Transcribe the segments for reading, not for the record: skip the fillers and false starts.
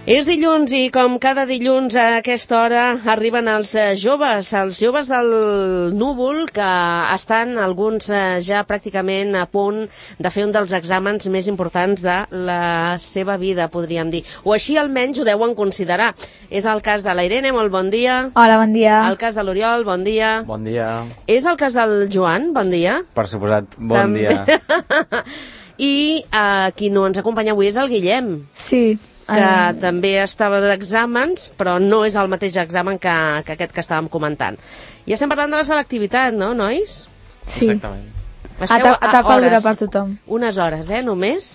És dilluns i com cada dilluns a aquesta hora arriben els joves del Núvol, que estan alguns ja pràcticament a punt de fer un dels exàmens més importants de la seva vida, podríem dir. O així almenys ho deuen considerar. És el cas de la Irene, molt bon dia. Hola, bon dia. El cas de l'Oriol, bon dia. Bon dia. És el cas del Joan, bon dia. Per suposat, bon dia. I qui no ens acompanya avui és el Guillem. Sí. Que també estava d'exàmens, però no és el mateix examen que aquest que estàvem comentant. I estem parlant de la selectivitat, no, nois? Sí. Exactament. Esteu etapa dura per tothom. Unes hores, només?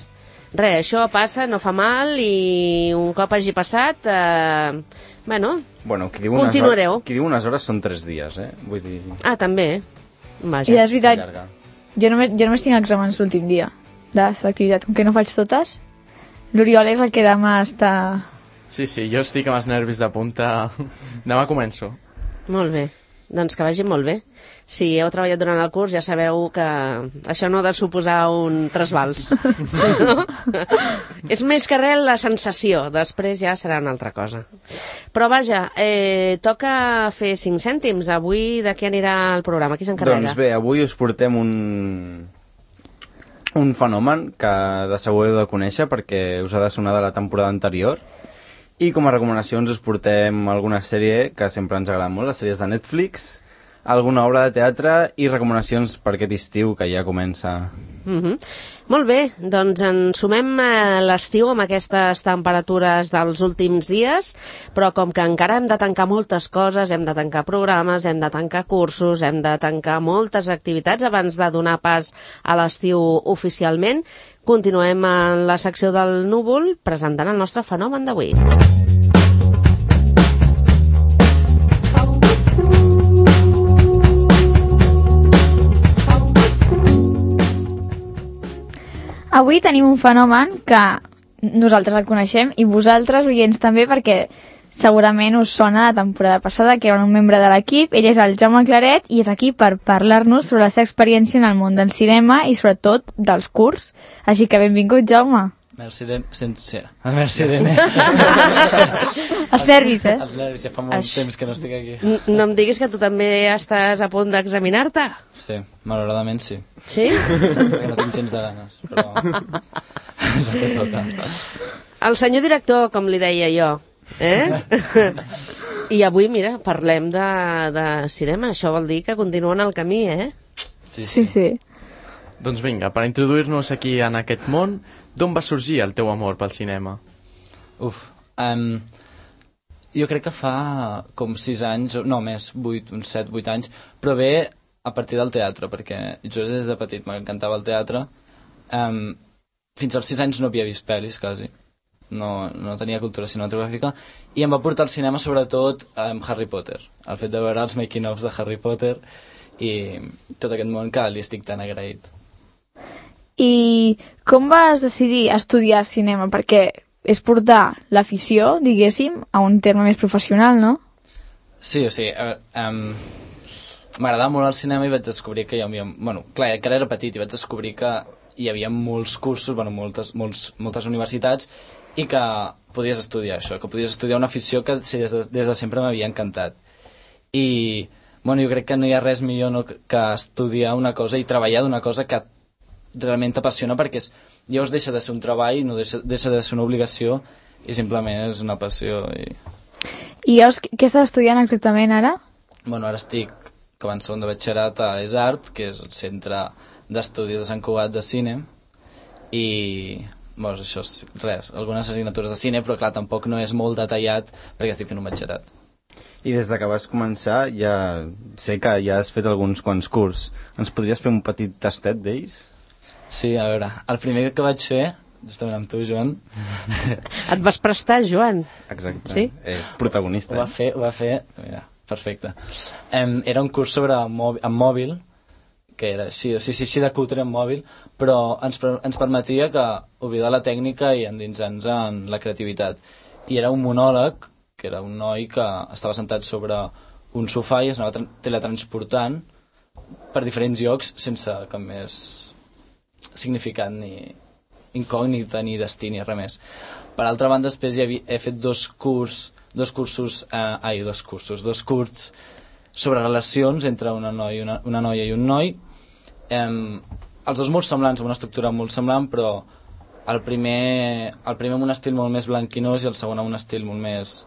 Res, això passa, no fa mal, i un cop hagi passat, Bueno, qui diu continuareu. Qui diu unes hores són 3 dies, Vull dir... Ah, també? Vaja. I és veritat, jo només tinc exàmens l'últim dia de selectivitat, com que no faig totes. L'Oriol és el que demà està... Sí, jo estic amb els nervis de punta. Demà començo. Molt bé, doncs que vagi molt bé. Si heu treballat durant el curs ja sabeu que això no ha de suposar un trasbals. No? És més que res la sensació, després ja serà una altra cosa. Però vaja, toca fer 5 cèntims. Avui de què anirà el programa? Qui s'encarrega? Doncs bé, avui us portem un fenomen que de segur heu de conèixer perquè us ha de sonar de la temporada anterior, i com a recomanacions us portem alguna sèrie que sempre ens agrada molt, les sèries de Netflix, alguna obra de teatre i recomanacions per aquest estiu que ja comença. Molt bé, doncs ens sumem a l'estiu amb aquestes temperatures dels últims dies, però com que encara hem de tancar moltes coses, hem de tancar programes, hem de tancar cursos, hem de tancar moltes activitats abans de donar pas a l'estiu oficialment, continuem en la secció del Núvol presentant el nostre fenomen d'avui. Avui tenim un fenomen que nosaltres el coneixem i vosaltres, oients, també, perquè segurament us sona la temporada passada, que era un membre de l'equip. Ell és el Jaume Claret i és aquí per parlar-nos sobre la seva experiència en el món del cinema i sobretot dels curts. Així que benvingut, Jaume. Merci, Irene. Els nervis, Els nervis, ja fa molt temps que no estic aquí. No em diguis que tu també estàs a punt d'examinar-te? Sí, malauradament sí. Sí? Perquè no tinc gens de ganes, però és el que toca. El senyor director, com li deia jo, I avui, mira, parlem de cinema. Això vol dir que continuen el camí, Sí. Doncs vinga, per introduir-nos aquí en aquest món, d'on va sorgir el teu amor pel cinema? Jo crec que fa com 6 anys, no més, 8, uns 7-8 anys, però bé a partir del teatre, perquè jo des de petit m'encantava el teatre. Fins als 6 anys no havia vist pel·lis, quasi. No tenia cultura cinematogràfica, i em va portar al cinema sobretot amb Harry Potter. El fet de veure els making-ofs de Harry Potter i tot aquest món que li estic tan agraït. I com vas decidir estudiar cinema? Perquè és portar l'afició, diguéssim, a un terme més professional, no? Sí, m'agradava molt el cinema i vaig descobrir que hi havia... Clar, encara era petit i vaig descobrir que hi havia molts cursos, moltes universitats, i que podies estudiar això, que podies estudiar una afició que des de sempre m'havia encantat. I jo crec que no hi ha res millor que estudiar una cosa i treballar d'una cosa que realment t'apassiona, perquè llavors deixa de ser un treball, no deixa de ser una obligació, i simplement és una passió. I llavors, què estàs estudiant exactament ara? Ara estic acabant segon de batxillerat a ESART, que és el centre d'estudis de Sant Cugat de cine, i això és res, algunes assignatures de cine, però clar, tampoc no és molt detallat perquè estic fent un batxillerat. I des que vas començar ja sé que ja has fet alguns quants curs. Ens podries fer un petit tastet d'ells? Sí, a veure, el primer que vaig fer, justament amb tu, Joan... Et vas prestar, Joan? Exacte, sí? Protagonista. Ho va fer, mira, perfecte. Era un curs sobre amb mòbil, que era així de cutre amb mòbil, però ens permetia que oblidar la tècnica i endinsar-nos en la creativitat. I era un monòleg, que era un noi que estava sentat sobre un sofà i es anava teletransportant per diferents llocs sense cap més significat ni incògnita ni destí ni res més. Per altra banda, després he fet dos curts sobre relacions entre una noia i un noi. Els dos molt semblants, amb una estructura molt semblant, però el primer amb un estil molt més blanquinós i el segon amb un estil molt més,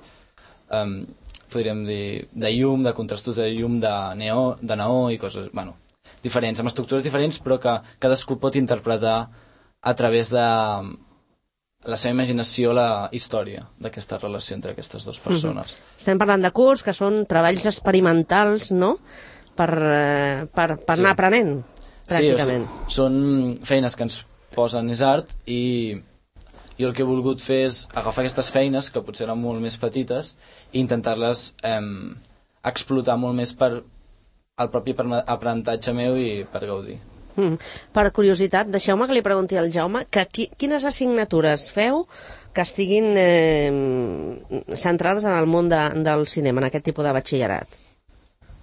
podríem dir, de llum, de contrastos de llum, de neó i coses, bueno, diferents, amb estructures diferents, però que cadascú pot interpretar a través de la seva imaginació la història d'aquesta relació entre aquestes dues persones. Estem parlant de curs que són treballs experimentals, no?, per anar aprenent, pràcticament. Sí, són feines que ens posen art i jo el que he volgut fer és agafar aquestes feines, que potser eren molt més petites, i intentar-les explotar molt més per el propi aprenentatge meu i per gaudir. Per curiositat, deixeu-me que li pregunti al Jaume que quines assignatures feu que estiguin centrades en el món del cinema, en aquest tipus de batxillerat.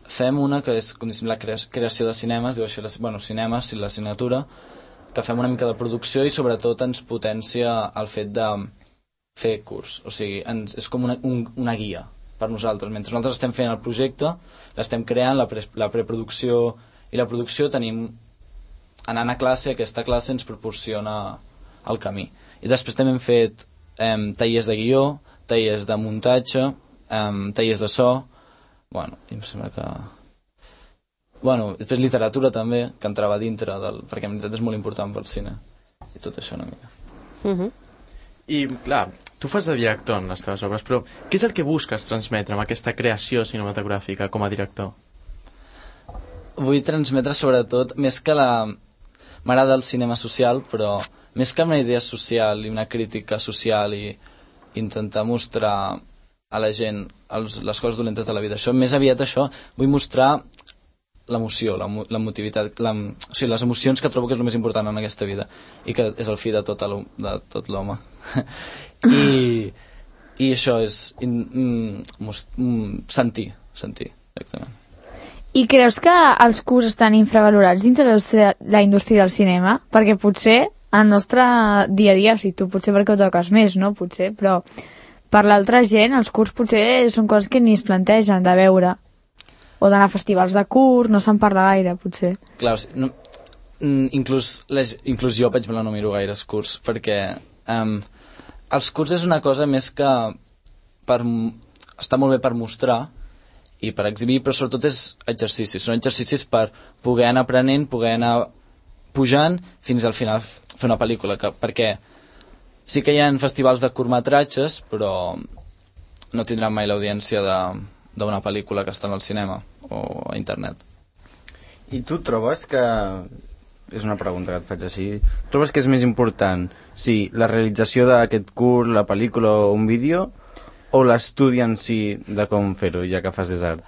Fem una que és la creació de cinemes, diu així, cinemes i l'assignatura, que fem una mica de producció i sobretot ens potencia el fet de fer curs, o sigui, és com una guia per nosaltres. Mentre nosaltres estem fent el projecte, l'estem creant, la preproducció i la producció, tenim anant a classe, aquesta classe ens proporciona el camí. I després també hem fet tallers de guió, tallers de muntatge, tallers de so, bueno, i em sembla que... Bueno, després literatura també, que entrava dintre perquè en veritat és molt important pel cine. I tot això una mica. I, clar, tu fas de director en les teves obres, però què és el que busques transmetre amb aquesta creació cinematogràfica com a director? Vull transmetre sobretot, més que m'agrada el cinema social, però més que una idea social i una crítica social i intentar mostrar a la gent les coses dolentes de la vida, més aviat això, vull mostrar l'emoció, l'emotivitat, o sigui, les emocions que trobo que és el més important en aquesta vida i que és el fi de tot l'home. I això és sentir, exactament. I creus que els curs estan infravalorats dintre la indústria del cinema? Perquè potser el nostre dia a dia, o sigui, tu potser perquè ho toques més, no? Potser, però per l'altra gent els curs potser són coses que ni es plantegen de veure. O d'anar a festivals de curs, no se'n parla gaire, potser. Clar, o sigui, inclús jo, per exemple, no miro gaire els curs, perquè els curs és una cosa més que està molt bé per mostrar i per exhibir, però sobretot és exercicis. Són exercicis per poder anar aprenent, poder anar pujant fins al final fer una pel·lícula, perquè sí que hi ha festivals de curtmetratges, però no tindran mai l'audiència d'una pel·lícula que està al cinema o a internet. I tu trobes que... És una pregunta que et faig així. Trobes que és més important la realització d'aquest curt, la pel·lícula o un vídeo, o l'estudi en si de com fer-ho, ja que fas art?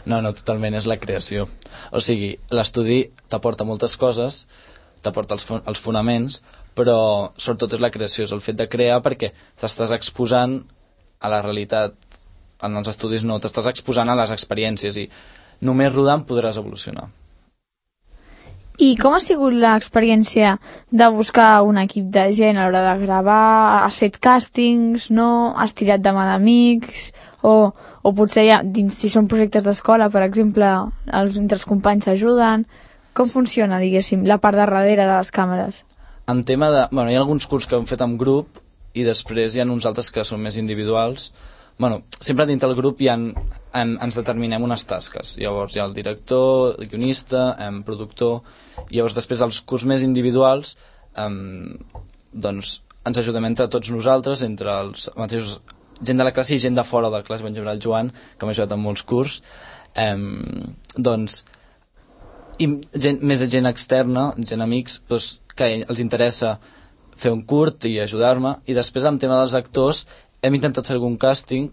No, totalment, és la creació. O sigui, l'estudi t'aporta moltes coses, t'aporta els fonaments, però sobretot és la creació, és el fet de crear perquè t'estàs exposant a la realitat. En els estudis no, t'estàs exposant a les experiències i només rodant podràs evolucionar. I com ha sigut l'experiència de buscar un equip de gent a l'hora de gravar? Has fet càstings, no? Has tirat de mà d'amics? O potser si són projectes d'escola, per exemple, entre els companys s'ajuden? Com funciona, diguéssim, la part de darrere de les càmeres? En tema de... Bueno, hi ha alguns curts que hem fet en grup i després hi ha uns altres que són més individuals. Bueno, sempre dintre del grup ens determinem unes tasques. Llavors hi ha el director, el guionista, productor. Llavors després els curts més individuals doncs ens ajudem entre tots nosaltres, entre els mateixos gent de la classe i gent de fora de la classe. Per exemple, el Joan, que m'ha ajudat en molts curts, doncs i més gent externa, gent amics, doncs, que els interessa fer un curt i ajudar-me. I després, en tema dels actors, hem intentat fer algun càsting,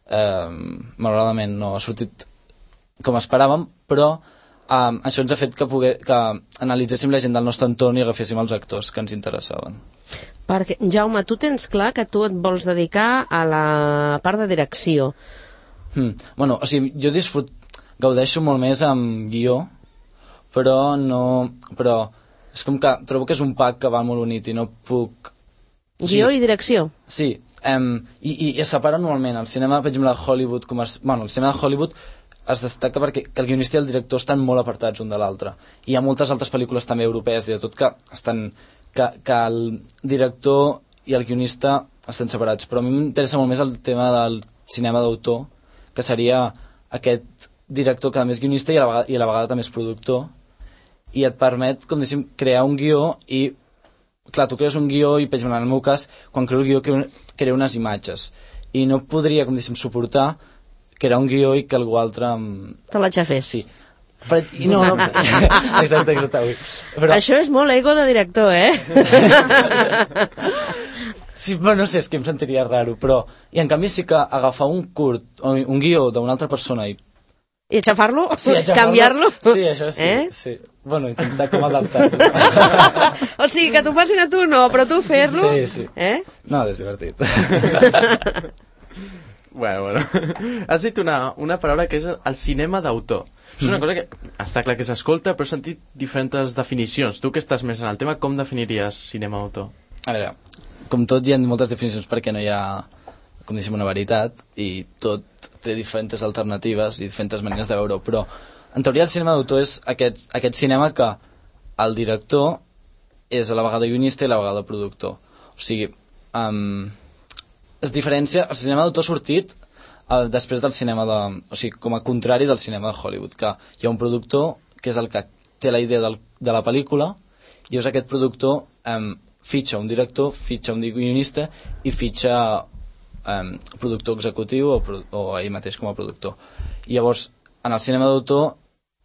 malauradament no ha sortit com esperàvem, però això ens ha fet que analitzéssim la gent del nostre entorn i agaféssim els actors que ens interessaven. Perquè, Jaume, tu tens clar que tu et vols dedicar a la part de direcció. Bueno, o sigui, jo gaudeixo molt més amb guió, però És com que trobo que és un pack que va molt unit i no puc... Guió i direcció. Sí, i es separa normalment. El cinema, per exemple, Hollywood... Bueno, el cinema de Hollywood es destaca perquè que el guionista i el director estan molt apartats un de l'altre. I hi ha moltes altres pel·lícules també europees i de tot que el director i el guionista estan separats. Però a mi m'interessa molt més el tema del cinema d'autor, que seria aquest director que a més guionista i a la vegada també és productor, i et permet, com diguéssim, crear un guió i, clar, tu crees un guió i, per exemple, en el meu cas, quan creo el guió creo unes imatges i no podria, com diguéssim, suportar crear un guió i que algú altre... Te l'aixafés. Sí. Però, no, exacte. Però... Això és molt ego de director, Sí, però no sé, és que em sentiria raro, però... I en canvi sí que agafar un curt o un guió d'una altra persona i aixafar-lo? Sí, canviar-lo? Sí, això sí, sí. Bueno, intentar com adaptar-lo. O sigui, que t'ho facin a tu no, però tu fer-lo... Sí. No, és divertit. Bueno. Has dit una paraula que és el cinema d'autor. És una cosa que està clar que s'escolta, però he sentit diferents definicions. Tu que estàs més en el tema, com definiries cinema d'autor? A veure, com tot hi ha moltes definicions perquè no hi ha, com diguéssim, una veritat, i tot té diferents alternatives i diferents maneres de veure-ho, però en teoria el cinema d'autor és aquest cinema que el director és a la vegada guionista i a la vegada productor. O sigui, es diferencia, el cinema d'autor ha sortit després del cinema o sigui, com a contrari del cinema de Hollywood, que hi ha un productor que és el que té la idea de la pel·lícula i és aquest productor fitxa un director, fitxa un guionista i fitxa productor executiu o ell mateix com a productor. I llavors, en el cinema d'autor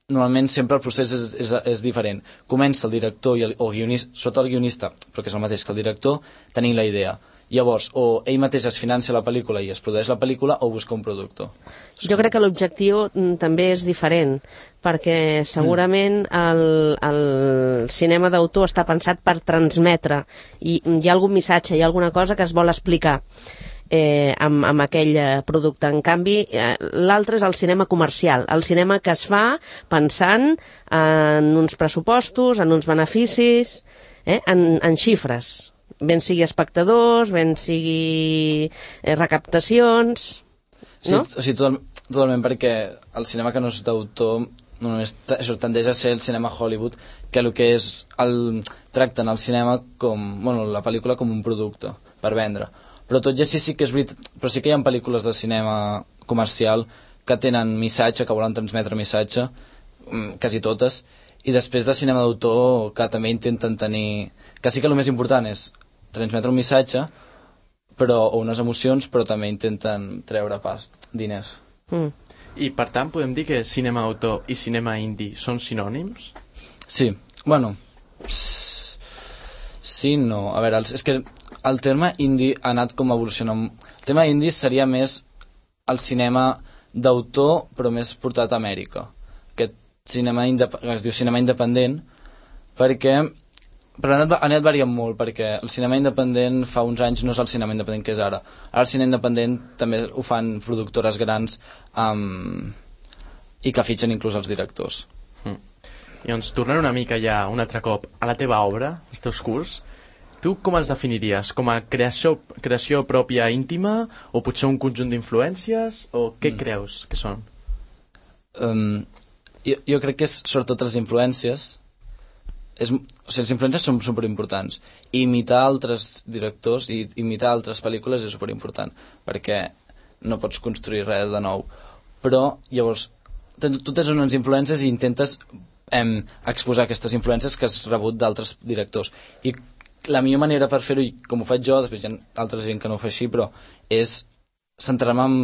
normalment sempre el procés és diferent. Comença el director o guionista, sota el guionista, però que és el mateix que el director, tenint la idea. Llavors, o ell mateix es financia la pel·lícula i es produeix la pel·lícula o busca un productor. Jo crec que l'objectiu també és diferent, perquè segurament el cinema d'autor està pensat per transmetre i hi ha algun missatge, hi ha alguna cosa que es vol explicar amb aquell producte. En canvi, l'altre és el cinema comercial, el cinema que es fa pensant en uns pressupostos, en uns beneficis, en xifres, ben sigui espectadors, ben sigui recaptacions, no? Sí, o sigui, totalment, perquè el cinema que no és d'autor només tendeix a ser el cinema Hollywood, que el que és tracten el cinema com, bueno, la pel·lícula com un producte per vendre. Però tot i així sí que és veritat, però sí que hi ha pel·lícules de cinema comercial que tenen missatge, que volen transmetre missatge, quasi totes, i després de cinema d'autor que també intenten tenir, que sí que el més important és transmetre un missatge o unes emocions, però també intenten treure diners. I per tant podem dir que cinema d'autor i cinema indie són sinònims? Sí, bueno, sí, no, a veure, és que el terme indie ha anat com evolucionant. El tema indie seria més el cinema d'autor, però més portat a Amèrica. Aquest cinema que es diu cinema independent, però ha anat variant molt, perquè el cinema independent fa uns anys no és el cinema independent que és ara. Ara el cinema independent també ho fan productores grans i que fitxen inclús els directors. I doncs, tornant una mica ja un altre cop a la teva obra, als teus curts, tu com els definiries? Com a creació pròpia íntima o potser un conjunt d'influències? O què creus que són? Jo crec que és sobretot les influències. O sigui, les influències són superimportants. I imitar altres directors i imitar altres pel·lícules és superimportant, perquè no pots construir res de nou. Però llavors tu tens unes influències i intentes exposar aquestes influències que has rebut d'altres directors. I la millor manera per fer-ho, i com ho faig jo, després hi ha altra gent que no ho fa així, però és centrar-me en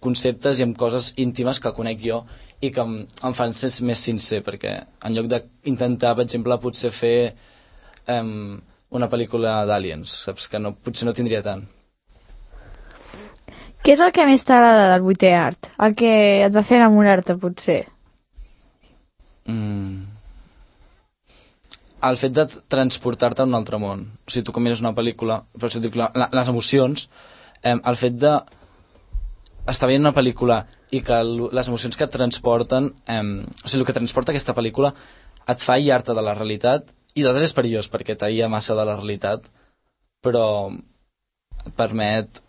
conceptes i en coses íntimes que conec jo i que em fan ser més sincer, perquè en lloc d'intentar, per exemple, potser fer una pel·lícula d'Aliens, saps? Que potser no tindria tant. Què és el que més t'agrada del 8è art? El que et va fer enamorar-te, potser? El fet de transportar-te a un altre món. O sigui, tu com mires una pel·lícula, per això dic, les emocions, el fet de estar veient una pel·lícula i que les emocions que et transporten, o sigui, el que transporta aquesta pel·lícula et fa aïllar-te de la realitat I d'altres és perillós, perquè t'aïa massa de la realitat, però et permet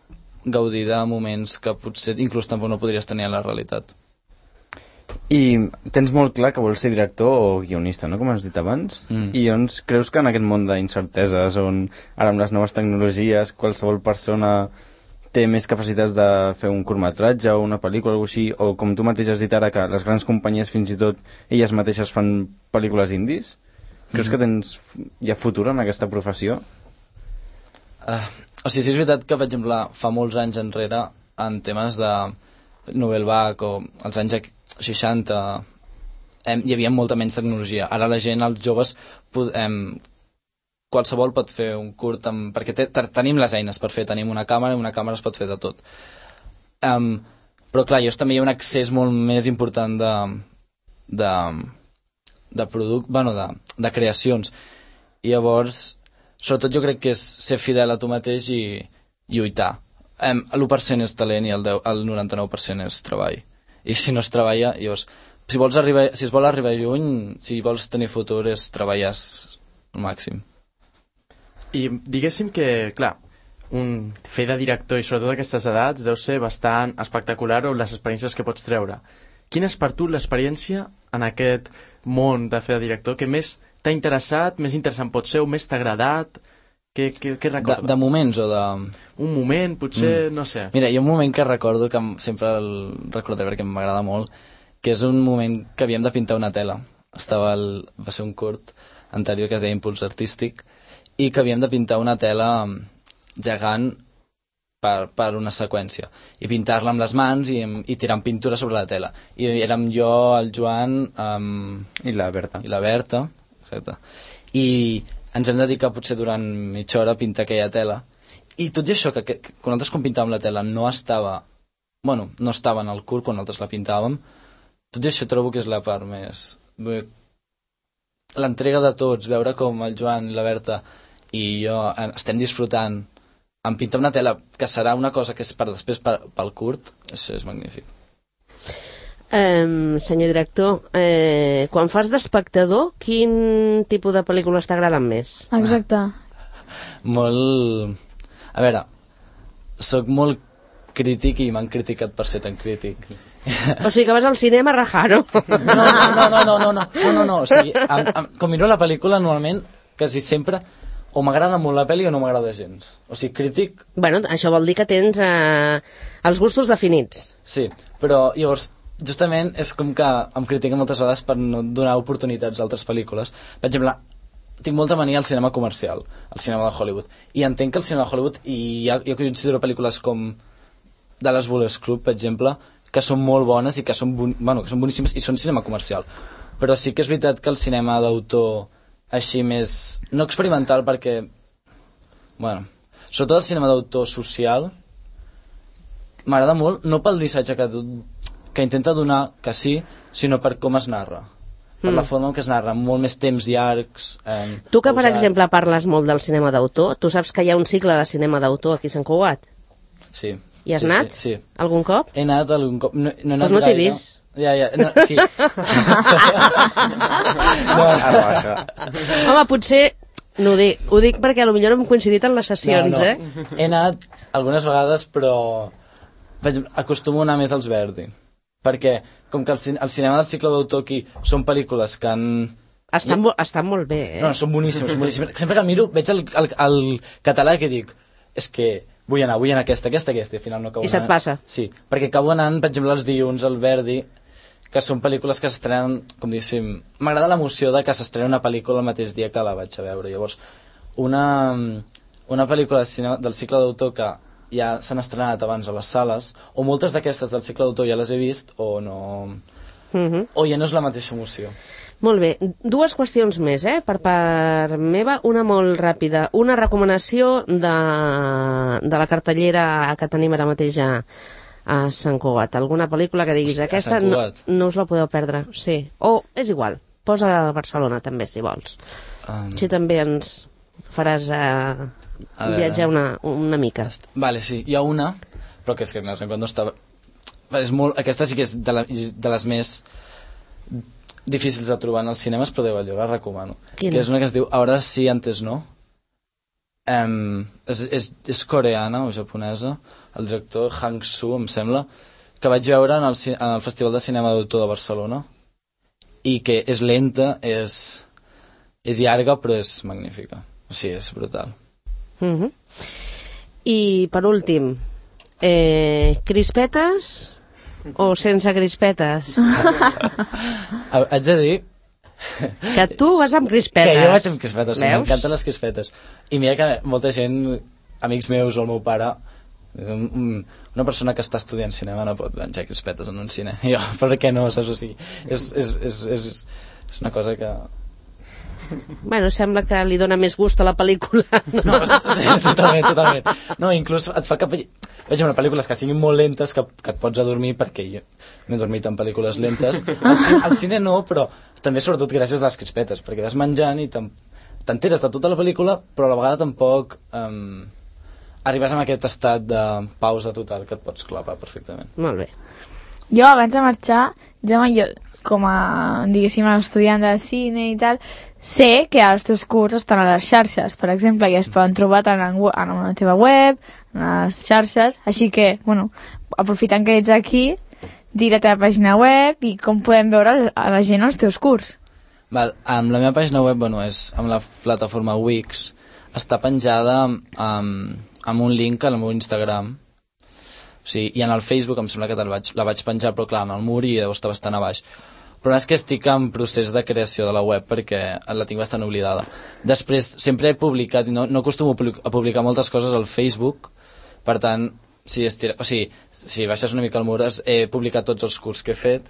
gaudir de moments que potser inclús tampoc no podries tenir a la realitat. I tens molt clar que vols ser director o guionista, no?, com has dit abans. I doncs creus que en aquest món d'incerteses, on ara amb les noves tecnologies qualsevol persona té més capacitats de fer un curtmetratge o una pel·lícula o alguna així, o com tu mateix has dit ara, que les grans companyies fins i tot elles mateixes fan pel·lícules indis, creus que hi ha futur en aquesta professió? O sigui, sí és veritat que, per exemple, fa molts anys enrere, en temes de novel vague o als anys 60 hi havia molta menys tecnologia. Ara la gent, els joves, qualsevol pot fer un curt perquè tenim les eines per fer, tenim una càmera i una càmera es pot fer de tot. Però clar, també hi ha un accés molt més important de de creacions, i llavors sobretot jo crec que és ser fidel a tu mateix i lluitar. L'1% és talent i el 99% és treball, i si no es treballa, llavors si es vol arribar lluny, si vols tenir futur, és treballar al màxim. I diguéssim que, clar, fer de director i sobretot aquestes edats deu ser bastant espectacular, o les experiències que pots treure. Quina és per tu l'experiència en aquest món de fer de director que més t'ha interessat, més interessant pot ser, o més t'ha agradat? Què recordes? De moments o de... Un moment, potser, no sé. Mira, hi ha un moment que recordo, que sempre el recordo perquè m'agrada molt, que és un moment que havíem de pintar una tela. Va ser un curt anterior que es deia Impuls Artístic, i que havíem de pintar una tela gegant per una seqüència, i pintar-la amb les mans i tirant pintura sobre la tela. I érem jo, el Joan... I la Berta. I la Berta, exacte. I ens hem dedicat potser durant mitja hora a pintar aquella tela. I tot i això, que nosaltres quan pintàvem la tela no estava en el curt quan nosaltres la pintàvem, tot i això trobo que és la part més... L'entrega de tots, veure com el Joan i la Berta i jo estem disfrutant en pintar una tela que serà una cosa que és per després pel curt, això és magnífic. Senyor director, quan fas d'espectador, quin tipus de pel·lícules t'agraden més? Exacte. Molt... A veure, sóc molt crític i m'han criticat per ser tan crític. O sigui que vas al cinema a rajar, no? No. O sigui, com miro la pel·lícula, normalment, quasi sempre, o m'agrada molt la pel·li o no m'agrada gens. O sigui, crític... Bueno, això vol dir que tens els gustos definits. Sí, però llavors, justament, és com que em critiquen moltes vegades per no donar oportunitats a altres pel·lícules. Per exemple, tinc molta mania al cinema comercial, al cinema de Hollywood. I entenc que el cinema de Hollywood, i jo considero pel·lícules com Dallas Buyers Club, per exemple, que són molt bones i que són boníssimes i són cinema comercial. Però sí que és veritat que el cinema d'autor així més... no experimental, perquè... sobretot el cinema d'autor social m'agrada molt, no pel missatge que intenta donar, que sí, sinó per com es narra. Per la forma en què es narra, molt més temps llargs... Tu que, per exemple, parles molt del cinema d'autor, tu saps que hi ha un cicle de cinema d'autor aquí a Sant Cugat? Sí. Hi has anat? Sí. Algun cop? He anat algun cop. No he anat pues no t'he vist. Ja, no, sí. Home, potser... No ho dic perquè potser no hem coincidit en les sessions, no. He anat algunes vegades, però acostumo a anar més als Verdi. Perquè, com que el cinema del cicle d'autor aquí són pel·lícules que han... Estan molt bé, No, són boníssimes, són boníssimes. Sempre que miro, veig el català que dic, és que vull anar a aquesta, i al final no acabo I se't passa? Sí, perquè acabo anant, per exemple, els dilluns al Verdi, que són pel·lícules que s'estrenen, com diguéssim... M'agrada l'emoció de que s'estrena una pel·lícula el mateix dia que la vaig a veure. Llavors, una pel·lícula del cicle d'autor que ja s'han estrenat abans a les sales, o moltes d'aquestes del cicle d'autor ja les he vist, o no... O ja no és la mateixa emoció. Molt bé, dues qüestions més, per part meva, una molt ràpida. Una recomanació de la cartellera que tenim ara mateix a Sant Cugat. Alguna pel·lícula que diguis, aquesta no us la podeu perdre. Sí. O, és igual, posa a Barcelona també, si vols. Així també ens faràs viatjar una mica. Vale, sí, hi ha una, però que és que no estava... Aquesta sí que és de les més difícils de trobar en els cinemes, però jo la recomano. Quina? Que és una que es diu Ahora sí, antes no. És coreana o japonesa, el director Hang Soo, em sembla, que vaig veure en el Festival de Cinema d'Autor de Barcelona, i que és lenta, és llarga, però és magnífica. O sigui, és brutal. I per últim, crispetes o sense crispetes? Haig de dir Que tu vas amb crispetes. que jo vaig amb crispetes, sí, Veus? m'encanten les crispetes. I mira que molta gent, amics meus o el meu pare, una persona que està estudiant cinema no pot menjar crispetes en un cine. Jo, per què no, saps? O sigui, és una cosa que... Bueno, sembla que li dona més gust a la pel·lícula. No, sí, totalment. No, inclús et fa que vegi una pel·lícules que siguin molt lentes que et pots adormir, perquè jo m'he dormit en pel·lícules lentes. Al cine no, però també sobretot gràcies a les crispetes, perquè vas menjant i t'enteres de tota la pel·lícula, però a la vegada tampoc arribes a aquest estat de pausa total que et pots clavar perfectament. Molt bé. Jo, abans de marxar, jo com a, diguéssim, estudiant de cine i tal, sé que els teus cursos estan a les xarxes, per exemple, i es poden trobar tant en la teva web, en les xarxes, així que, bueno, aprofitant que ets aquí, dir la teva pàgina web i com podem veure a la gent els teus curs. Val, amb la meva pàgina web, bueno, és amb la plataforma Wix, està penjada amb un link al meu Instagram. O sigui, i en el Facebook em sembla que la vaig penjar, però clar, en el mur i deu estar bastant a baix. Però és que estic en procés de creació de la web perquè la tinc bastant oblidada. Després, sempre he publicat, i no acostumo a publicar moltes coses al Facebook, per tant, si baixes una mica al mur, he publicat tots els cursos que he fet,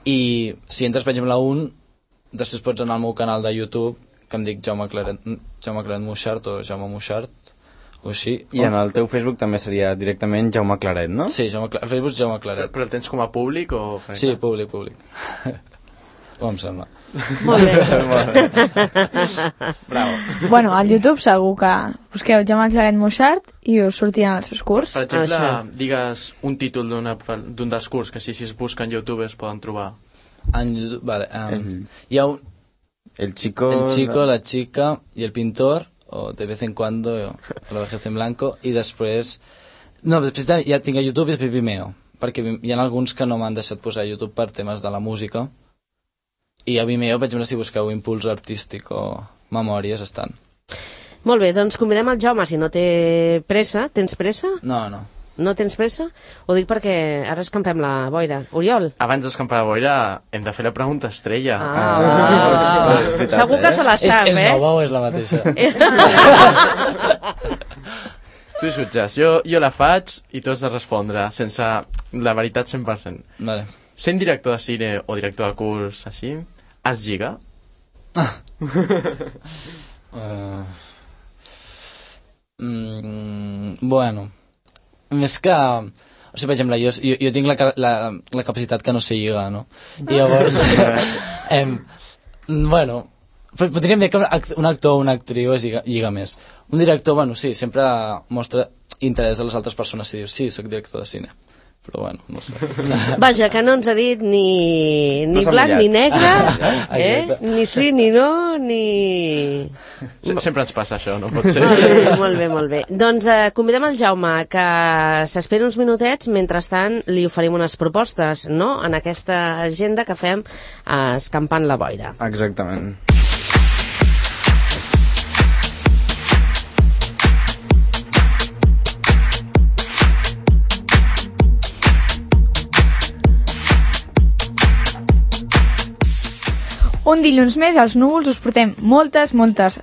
i si entres, per exemple, a un, després pots anar al meu canal de YouTube, que em dic Jaume Claret Moixart o Jaume Moixart, o així. I en el teu Facebook també seria directament Jaume Claret, no? Sí, el Facebook és Jaume Claret. Però el tens com a públic o... Sí, públic. Com em sembla. Molt bé. Bravo. Bueno, al YouTube segur que busqueu Jaume Claret Moixart i us sortiran els seus curs. Per exemple, Això. digues un títol d'un dels curs que si es busca en YouTube es poden trobar. En YouTube, vale. Hi ha un... El chico, la chica i el pintor, o de vez en cuando, o la vejez en blanco, i després... No, després ja tinc a YouTube i després Vimeo, perquè hi ha alguns que no m'han deixat posar a YouTube per temes de la música, i a Vimeo, per exemple, si busqueu Impuls Artístic o Memòries, estan. Molt bé, doncs convidem el Jaume, si no té pressa. Tens pressa? No. No tens pressa? Ho dic perquè ara escampem la boira. Oriol? Abans d'escampar la boira hem de fer la pregunta estrella. Va. Segur que se la sap, És nova o és la mateixa? Tu jutges, jo la faig i tu has de respondre sense la veritat 100%. Vale. Sent director de cine o director de curs així, es lliga? Bueno, més que... O sigui, per exemple, jo tinc la capacitat que no sé lligar, no? I llavors... bueno, podríem dir que un actor o una actriu es lliga més. Un director, bueno, sí, sempre mostra interès a les altres persones si dius, sí, soc director de cine. Però bueno, no sé. Vaja, que no ens ha dit ni No s'ha blanc mullat. ni negre, ni sí ni no, ni... Sempre ens passa això, no pot ser? Molt bé. Doncs convidem el Jaume que s'esperi uns minutets, mentrestant li oferim unes propostes, no?, en aquesta agenda que fem escampant la boira. Exactament. Un dilluns més, als Núvols, us portem moltes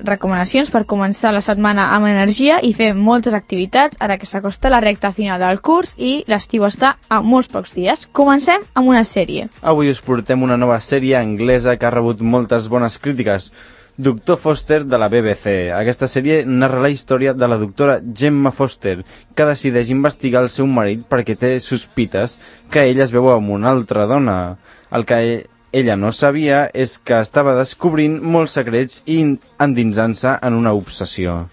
recomanacions per començar la setmana amb energia i fer moltes activitats, ara que s'acosta la recta final del curs i l'estiu està a molts pocs dies. Comencem amb una sèrie. Avui us portem una nova sèrie anglesa que ha rebut moltes bones crítiques. Doctor Foster, de la BBC. Aquesta sèrie narra la història de la doctora Gemma Foster, que decideix investigar el seu marit perquè té sospites que ella es veu amb una altra dona. El que ella no sabia és que estava descobrint molts secrets i endinsant-se en una obsessió.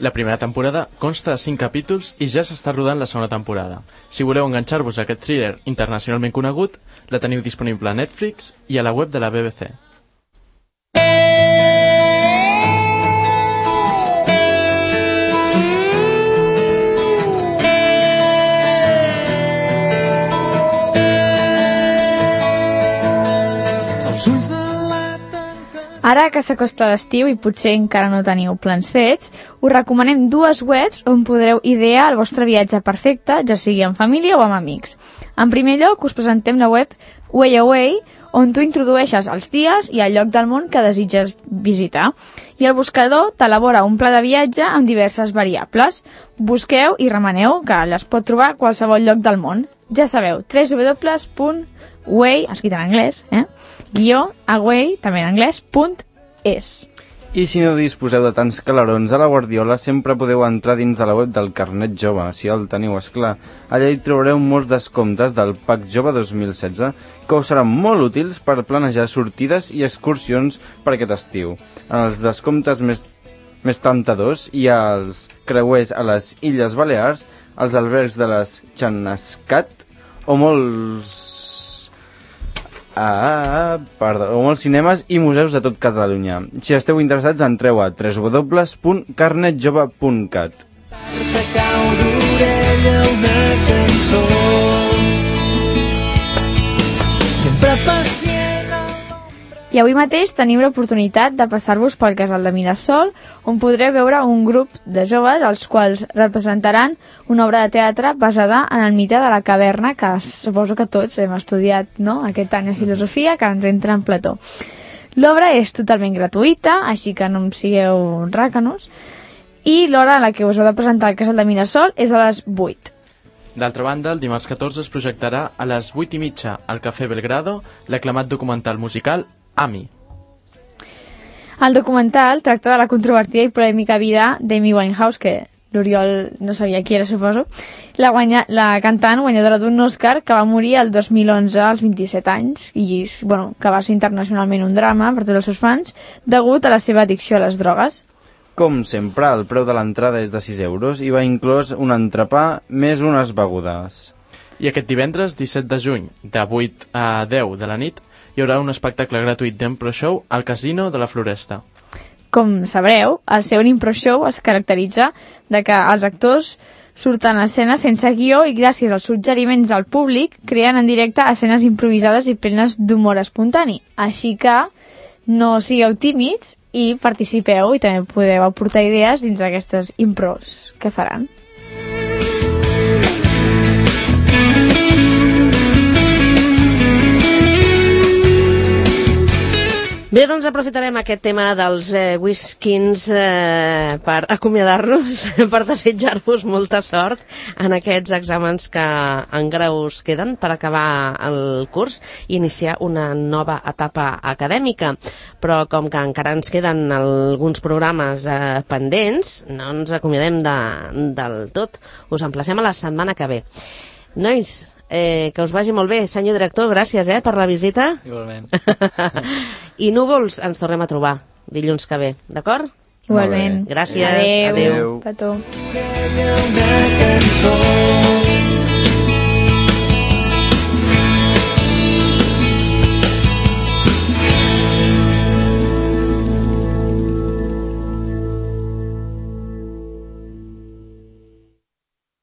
La primera temporada consta de 5 capítols i ja s'està rodant la segona temporada. Si voleu enganxar-vos a aquest thriller internacionalment conegut, La teniu disponible a Netflix i a la web de la BBC. Ara que s'acosta l'estiu i potser encara no teniu plans fets, us recomanem 2 webs on podreu idear el vostre viatge perfecte, ja sigui en família o amb amics. En primer lloc, us presentem la web WayAway, on tu introdueixes els dies i el lloc del món que desitges visitar. I el buscador t'elabora un pla de viatge amb diverses variables. Busqueu i remeneu, que les pot trobar a qualsevol lloc del món. Ja sabeu, www.way, escrit en anglès, _away, també en anglès, .es. I si no disposeu de tants calarons a la Guardiola, sempre podeu entrar dins de la web del Carnet Jove, si el teniu, esclar. Allà hi trobareu molts descomptes del PAC Jove 2016 que us seran molt útils per planejar sortides i excursions per aquest estiu. En els descomptes més temptadors hi ha els creuers a les Illes Balears, els albergs de les Xanascat o molts cinemes i museus de tot Catalunya. Si esteu interessats, entreu a www.carnetjove.cat. I avui mateix tenim l'oportunitat de passar-vos pel Casal de Mirasol, on podreu veure un grup de joves els quals representaran una obra de teatre basada en el mite de la caverna, que suposo que tots hem estudiat, no?, aquest any de filosofia, que ens entra en Plató. L'obra és totalment gratuïta, així que no em sigueu ràcanos, i l'hora en la que us heu de presentar al Casal de Mirasol és a les 8. D'altra banda, el dimarts 14 es projectarà a les 8:30 al Cafè Belgrado l'aclamat documental musical Ami. El documental tracta de la controvertida i polèmica vida d'Amy Winehouse, que l'Oriol no sabia qui era, suposo, la cantant guanyadora d'un Òscar que va morir el 2011 als 27 anys i bueno, que va ser internacionalment un drama per tots els seus fans degut a la seva addicció a les drogues. Com sempre, el preu de l'entrada és de 6 euros i va inclòs un entrepà més unes begudes. I aquest divendres, 17 de juny, de 8 a 10 de la nit, hi haurà un espectacle gratuït d'impro show al Casino de la Floresta. Com sabreu, el seu impro show es caracteritza de que els actors surten a escena sense guió i gràcies als suggeriments del públic creen en directe escenes improvisades i plenes d'humor espontani. Així que no sigueu tímids i participeu i també podeu aportar idees dins d'aquestes impros que faran. Bé, doncs aprofitarem aquest tema dels whiskins per acomiadar-nos, per desitjar-vos molta sort en aquests exàmens que encara us queden per acabar el curs i iniciar una nova etapa acadèmica. Però com que encara ens queden alguns programes pendents, no ens acomiadem del tot. Us emplacem a la setmana que ve. Nois, que us vagi molt bé. Senyor director, gràcies per la visita. Igualment. I núvols ens tornem a trobar dilluns que ve, d'acord? Igualment. Gràcies. Adéu. Petó. Una cançó